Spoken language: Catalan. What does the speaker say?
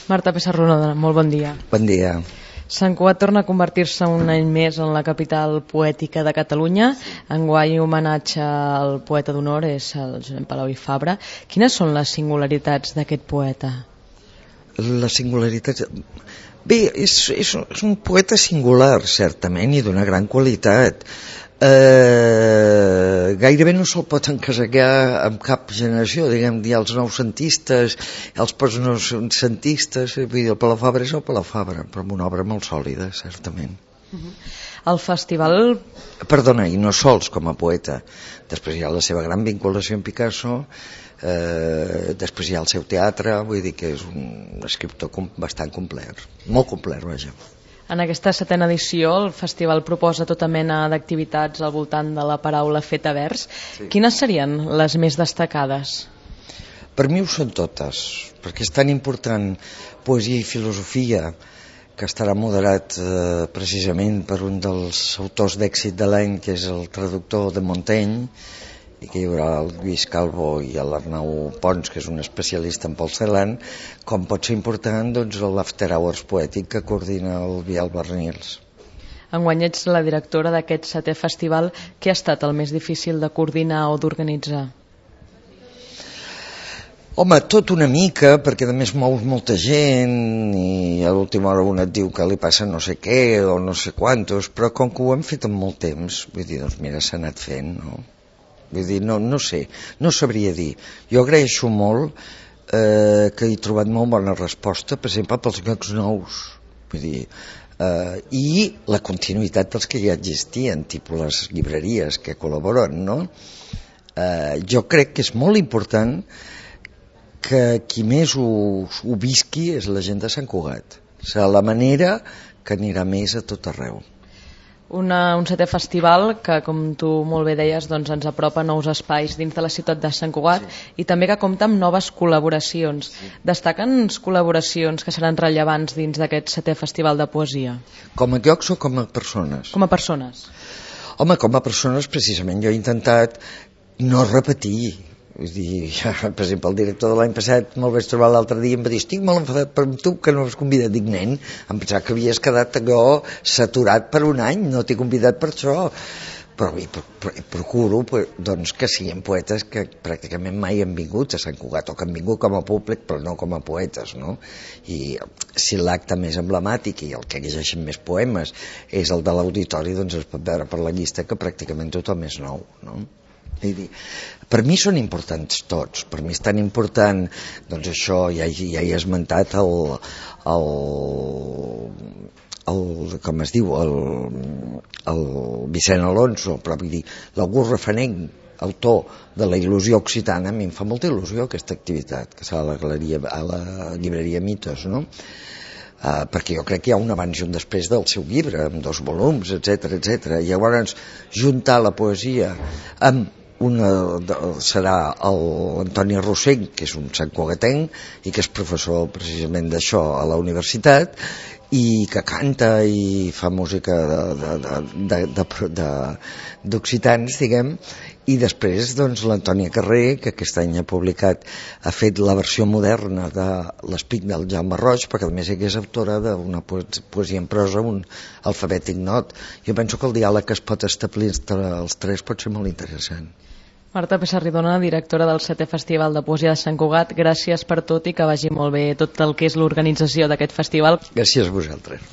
Marta Pessarrodona, molt bon dia. Bon dia. Sant Cugat torna a convertir-se un any més en la capital poètica de Catalunya. Enguany homenatge al poeta d'honor és el Josep Palau i Fabra. Quines són les singularitats d'aquest poeta? Les singularitats... Bé, és un poeta singular, certament, i d'una gran qualitat. Gairebé no se'l pot encasellar amb cap generació, diguem, hi ha els noucentistes, els postnoucentistes, vull dir, el Palau Fabra és el Palau Fabra, però amb una obra molt sòlida, certament. El festival... Perdona, i no sols com a poeta. Després hi ha la seva gran vinculació amb Picasso, després hi ha el seu teatre, vull dir que és un escriptor bastant complet, molt complet, vaja. En aquesta 7a edició el festival proposa tota mena d'activitats al voltant de la paraula feta vers. Sí. Quines serien les més destacades? Per mi ho són totes, perquè és tan important poesia i filosofia, que estarà moderat precisament per un dels autors d'èxit de l'any, que és el traductor de Montaigne, i que hi haurà el Lluís Calvo i l'Arnau Pons, que és un especialista en Paul Celan, com pot ser important doncs, l'After Hours poètic que coordina el Biel Barnils. Enguany ets la directora d'aquest 7è festival. Què ha estat el més difícil de coordinar o d'organitzar? Home, tot una mica, perquè a més mous molta gent i a l'última hora un et diu que li passa no sé què o no sé quantos, però com que ho hem fet en molt temps, vull dir, doncs mira, s'ha anat fent, no? Vull dir, no sé, no sabria dir. Jo agraeixo molt que he trobat molt bona resposta, per exemple, pels llocs nous. Vull dir, i la continuïtat dels que ja existien, tipus les llibreries que col·laboren, no? Jo crec que és molt important que qui més ho visqui és la gent de Sant Cugat. Serà la manera que anirà més a tot arreu. Un 7è festival que, com tu molt bé deies, doncs ens apropa nous espais dins de la ciutat de Sant Cugat, sí. I també que compta amb noves col·laboracions. Sí. Destaquen col·laboracions que seran rellevants dins d'aquest 7è festival de poesia? Com a llocs o com a persones? Com a persones. Home, com a persones precisament jo he intentat no repetir. Vull dir, per exemple, el director de l'any passat me'l vaig trobar l'altre dia i em va dir, estic molt enfadat per tu que no m'has convidat. Dic, nen, em pensava que havies quedat allò saturat per un any, no t'he convidat per això. Però procuro doncs, que siguin poetes que pràcticament mai han vingut a Sant Cugat, o que han vingut com a públic però no com a poetes, no? I si l'acte més emblemàtic i el que llegeixen més poemes és el de l'auditori, doncs es pot veure per la llista que pràcticament tothom és nou, no? Per mi són importants tots. Per mi és tan important, doncs això, ja he esmentat com es diu, el Vicent Alonso, però vull dir, l'August Refanenc, autor de la il·lusió occitana. A mi em fa molta il·lusió aquesta activitat, que serà a la llibreria Mitos, no? Perquè jo crec que hi ha un abans i un després del seu llibre, amb 2 volums, etc. I llavors juntar la poesia amb serà l'Antoni Rossell, que és un santcugatenc i que és professor precisament d'això a la universitat i que canta i fa música d'occitans, diguem, i després doncs l'Antònia Carrer, que aquest any ha fet la versió moderna de l'Espic del Jaume Roig, perquè a més és autora d'una poesia en prosa, un alfabètic not. Jo penso que el diàleg que es pot establir entre els tres pot ser molt interessant. Marta Pessarrodona, directora del 7è Festival de Poesia de Sant Cugat, gràcies per tot i que vagi molt bé tot el que és l'organització d'aquest festival. Gràcies a vosaltres.